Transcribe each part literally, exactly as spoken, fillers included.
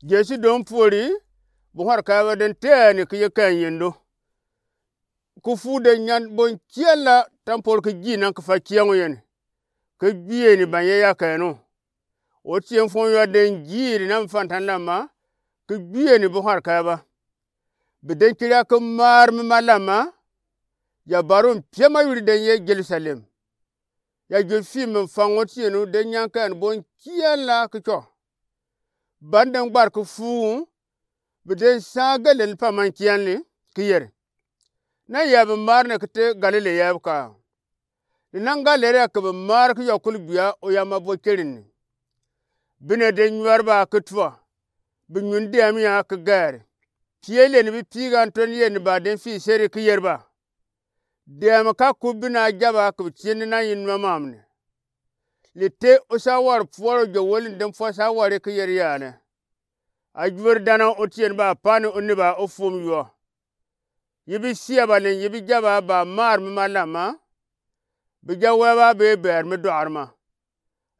Jesu dɔŋ puori, bi hɔrɔkɛ ba den tɛni ki ye kɛn yendo. Ki fu den nyan bon kiɛn la tampol ki ji nan ki fa kiɛŋ yɛn. Ki juyeni ban ye ya kɛn o. Otien fɔn yɔ den jiiri nan fantan lamma, ki juyeni bi hɔrɔkɛ ba. Bi den kiri a ki maar mi ma lamma, ya barum piɛma yuri den ye Jerusalem. Ya jur fim mi faŋ otien u den nyan kɛn bon kiɛn la ki cɔ. Ban den gbar ki fu, bi den saa gɛlɛn pa man kiɛn li ki yɛri. Na yɛ bi maar ni ki te Galilea yɛ bi ka. Ni nan Galilea ki bi maar ki yɔ kul bia o ya ma bo kɛrin ni. Bi ne den nyuar ba ki tua. Bi nyun dɛm ya ki gɛri. Pie lɛ ni bi piiga n tɔn yɛ ni ba den fii seri ki yɛri ba. Dɛm ka kub bi na jaba ki bi tieni na yin ma mam ni. Li te o sa war puɔr o jɛ woli ni den puɔ sa wari ki yɛri ya ni. A juori dana otien ba pani o ni ba o fum yɔ. Yi bi sia ba len yi bi jaba ba maar mi ma lamma. Bi ja wɛ ba be bɛr mi dɔar ma.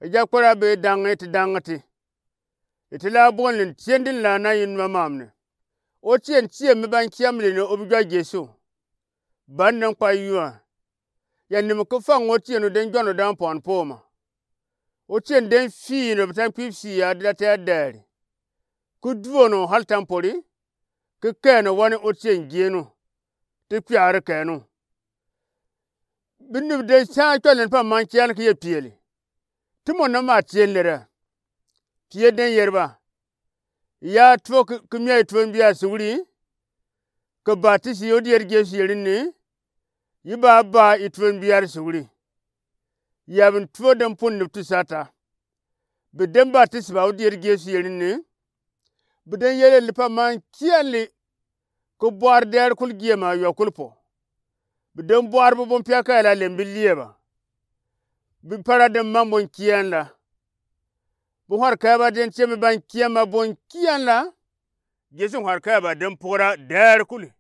I ja kpɛra be daŋi ti daŋi ti. Iti la bon len tien din la na yin ma mam ni. Otien tien mi ban kiam len o bi jɔ Jesu. Ban den kpa yua. Ya nim ki faŋ otien o den jɔn o dan pɔn poma. Otien den fii no bi tan kpip sii ya di da tɛ dɛri. Ki duon o hal tampori. Ki kɛn o wani otien jien o. Ti kpiari kɛn o. Bi nub den saa cɔl ni pa man kian ki ye pieli. Ti mɔ na ma tien lera. Pie den yɛri ba. Ya tuo ki, ki mia i tuon bia suguri. Ki batisi o dier Jesu yɛri ni. Yi ba ba i tuon bia suguri. Ya bin tuo den pun nub ti sata. Bi den batisi ba o dier Jesu yɛri ni. Bi den yɛri li pa man kian li. Ki buar dɛr kul giema yɔ kul po. Bi den buar bi bon pia kɛ la lem bi lieba. Bi para den man bon kian la. Bi hɔr kɛ ba den tiemi ban kian ma bon kian la. Jesu hɔr kɛ ba den pora dɛr kul.